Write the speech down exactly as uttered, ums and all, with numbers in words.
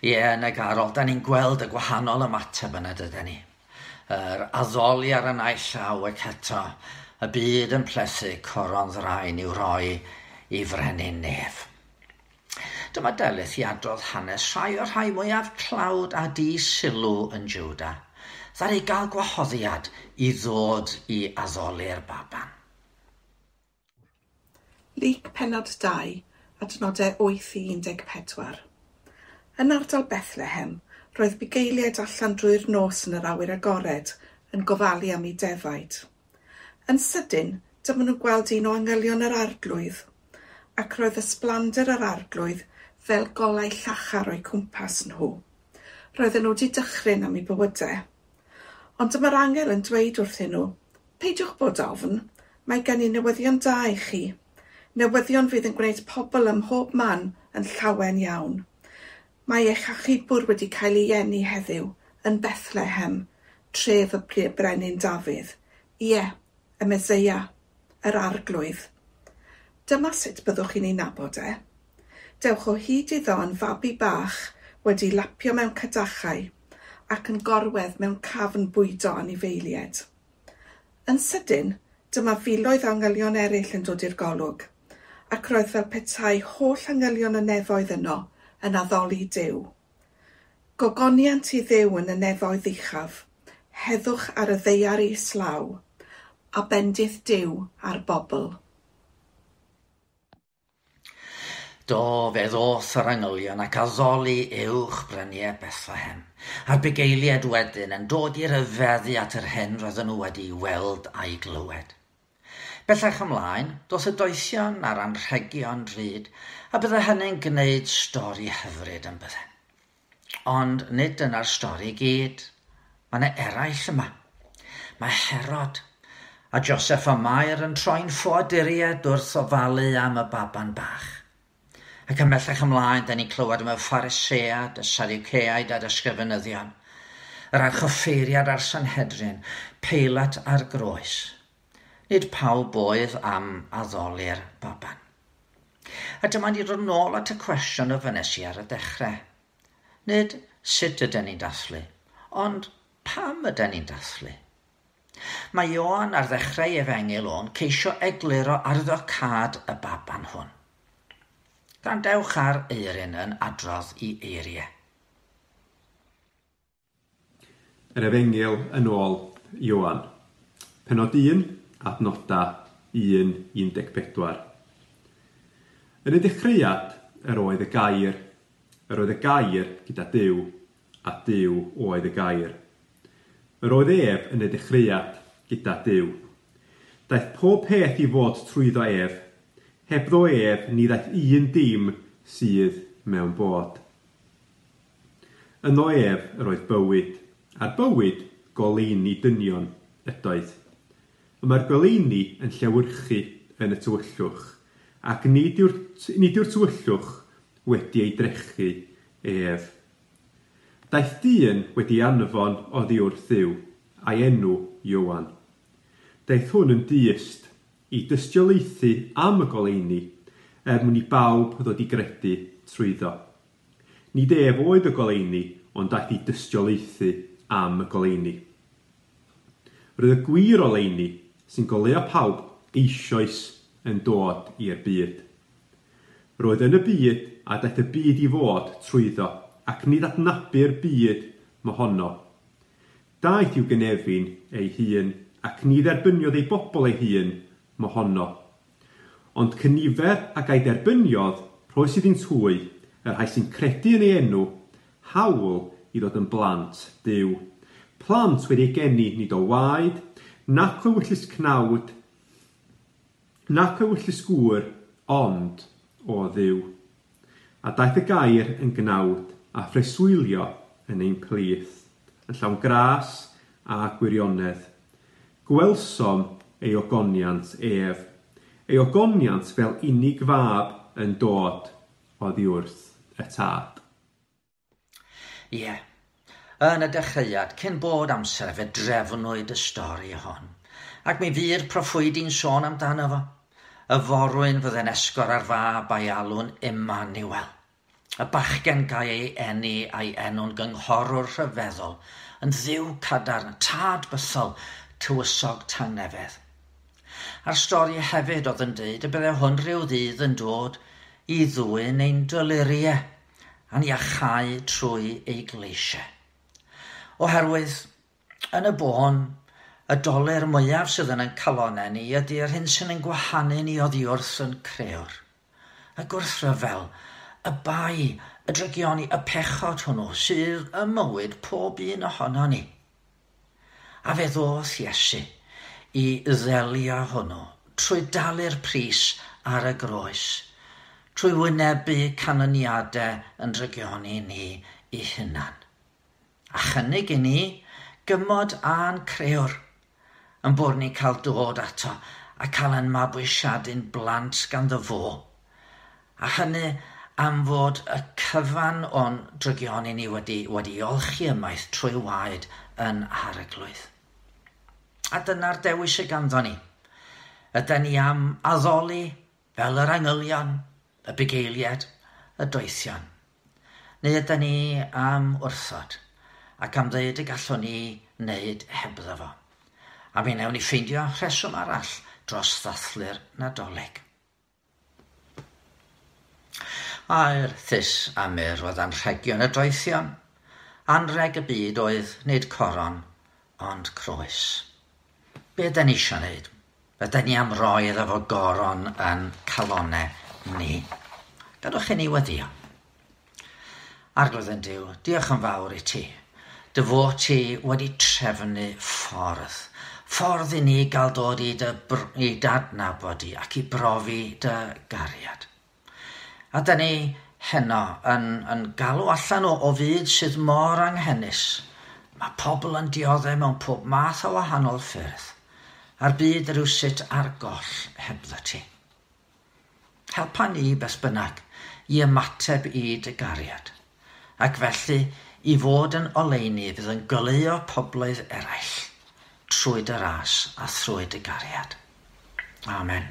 Ie, yn y garol, da ni'n gweld y gwahanol ymateb yna, dydan ni. Yr addoli ar y naill llaw ac eto, y byd yn plethu coron ddraen i'w roi i frenin nef. Dyma Delyth i adrodd hanes rhai o'r rhai mwyaf tlawd a di-sylw yn Jwda, ddaru gael gwahoddiad i ddod i addoli'r baban. Luc pennod dau, adnodau wyth i un deg pedwar. Yn ardal Bethlehem, roedd bugeiliaid allan drwy'r nos yn yr awyr agored yn gofalu am eu defaid. Yn sydyn, dyma nhw'n gweld un o angylion yr arglwydd, ac roedd ysblander yr arglwydd fel golau llachar o'u cwmpas nhw. Roedden nhw wedi dychryn am eu bywydau. Ond dyma'r angel yn dweud wrthyn nhw, "Peidiwch bod ofn, mae gen i newyddion da i chi. Newyddion fydd yn gwneud pobl ym mhob man yn llawen iawn. Mae eich achubwr wedi cael ei eni heddiw yn Bethlehem, tref y brenin Dafydd. Ie, y Meseia, yr arglwydd. Dyma sut byddwch chi'n ei nabod e. Dewch o hyd iddo yn fabi bach wedi lapio mewn cadachau ac yn gorwedd mewn cafn bwydo anifeiliaid." Yn sydyn, dyma filoedd o angylion eraill yn dod i'r golwg, ac roedd fel petai holl angylion y nefoedd yno yn addoli Duw. "Gogoniant i Dduw yn y nefoedd uchaf, heddwch ar y ddaear islaw, a bendith Duw ar bobl." Do, fe ddoth yr angylion ac addoli uwch bryniau Bethlehem, a'r bugeiliaid wedyn yn dod i ryfeddu at yr hyn roedden nhw wedi weld a'i glywed. Bellach ymlaen, doth y doethion a'r anrhegion drud, a bydde hynny'n gwneud stori hyfryd yn bydde. Ond nid dyna'r stori i gyd. Mae yna eraill yma. Mae Herod a Joseph a Mair yn troi'n ffoaduriaid wrth ofalu am y baban bach. Ac ymhellach ymlaen, da ni'n clywed am y Phariseaid, y Sadwceaid a'r ysgrifenyddion, yr archoffeiriad a'r Sanhedrin, Peilat a'r groes. Nid pawb oedd am addoli'r baban. A dyma ni dod nôl at y cwestiwn ofynnes i ar y dechrau. Nid sut ydyn ni'n dathlu, ond pam ydyn ni'n dathlu? Mae Ioan ar ddechrau efengyl o'n ceisio egluro arwyddocâd y baban hwn. Gwrandewch ar Eirin yn adrodd i eiriau. Yr Efengyl yn ôl Ioan. Pennod un, adnoda un un deg pedwar. Yn y dechreuad yr oedd y gair, yr oedd y gair gyda Duw, a Duw oedd y gair. Yr oedd ef yn y dechreuad gyda Duw. Daeth pob peth i fod trwyddo ef, hebddo ef ni ddaeth un dim sydd mewn bod. Yno ef yr oedd bywyd, a'r bywyd goleuni dynion ydoedd. Y mae'r goleuni yn llewyrchu yn y tywyllwch, ac nid yw'r, nid yw'r tywyllwch wedi ei drechu ef. Daeth dyn wedi anfon oddi wrth Dduw, a'i enw Ioan. Daeth hwn yn dyst i dystiolaethu am y goleuni, er mwyn i bawb ddod i gredu trwyddo. Nid ef oedd y goleuni, ond daeth i dystiolaethu am y goleuni. Roedd y gwir oleuni sy'n goleuo pawb eisoes yn dod i'r byd. Roedd yn y byd a daeth y byd i fod trwyddo, ac nid adnabu'r byd mohono. Daeth i'w gynefin ei hun, ac ni dderbyniodd ei bobl ei hun mohono. Ond cynifer ag a'i derbyniodd, rhoes iddynt hwy, y rhai sy'n credu yn ei enw, hawl i ddod yn blant Duw. Plant wedi eu geni nid o waed, nac o ewyllys cnawd, nac o ewyllys gŵr, ond o Dduw. A daeth y gair yn gnawd a phreswylio yn ein plith, yn llawn gras a gwirionedd. Gwelsom ei ogoniant ef, ei ogoniant fel unig fab yn dod oddi wrth y tad. Ie, yeah. Yn y dechreuad, cyn bod amser fe drefnwyd y stori hon, ac mi fu'r proffwydi'n sôn amdano fo. Y forwyn fydde'n esgor ar fab a'i alw'n Emmanuel. Y bachgen gael ei eni a'i enw'n gynghorwr rhyfeddol, yn Dduw cadarn, tad bythol, tywysog tangnefedd. A'r stori hefyd oedd yn dweud y bydde hwn rhyw ddydd yn dod i ddwyn ein doluriau a'n iachau trwy ei gleisiau. Oherwydd, yn y bôn, y dolur mwyaf sydd yn ein calonau ni ydy'r hyn sy'n ein gwahanu ni oddi wrth yn crëwr. Y gwrthryfel, y bai, y drygioni, y pechod hwnnw sydd ym mywyd pob un ohono ni. A fe ddoth Iesu i ddelio hwnnw trwy dalu'r pris ar y groes, trwy wynebu canlyniadau yn drygioni ni i hunan. A chynnig i ni gymod a'n crëwr, yn bod ni'n cael dod ato a cael ein mabwysiadu'n blant ganddo fo. A hynny am fod y cyfan o'n drygioni ni wedi, wedi olchi ymaith trwy waed yn Arglwydd. A dyna'r dewis sy ganddo ni. Ydy ni am addoli fel yr angylion, y bugeiliaid, y doethion? Neu ydy ni am wrthod ac am ddeud y gallwn ni wneud hebddo fo? A mi wnawn ni ffeindio rheswm arall dros ddathlu'r Nadolig. Aur, thus a myrrh oedd anrhegion y doethion. Anrheg y byd oedd nid coron, ond croes. Be ydy ni eisiau wneud? Ydy ni am roi iddo fo goron yn calonau ni? Gadwch i ni weddio. Arglwydd ein Duw, diolch yn fawr i ti. Dy fod ti wedi trefnu ffordd. Ffordd i ni gael dod i dy, i d'adnabod di ac i brofi dy gariad. A da ni heno yn, yn galw allan o, o fyd sydd mor anghenus. Mae pobl yn dioddef mewn pob math o wahanol ffyrdd, a'r byd rywsut ar goll hebddo ti. Helpa ni beth bynnag i ymateb i dy gariad, ac felly i fod yn oleuni fydd yn goleuo pobloedd eraill trwy dy ras a thrwy dy gariad. Amen.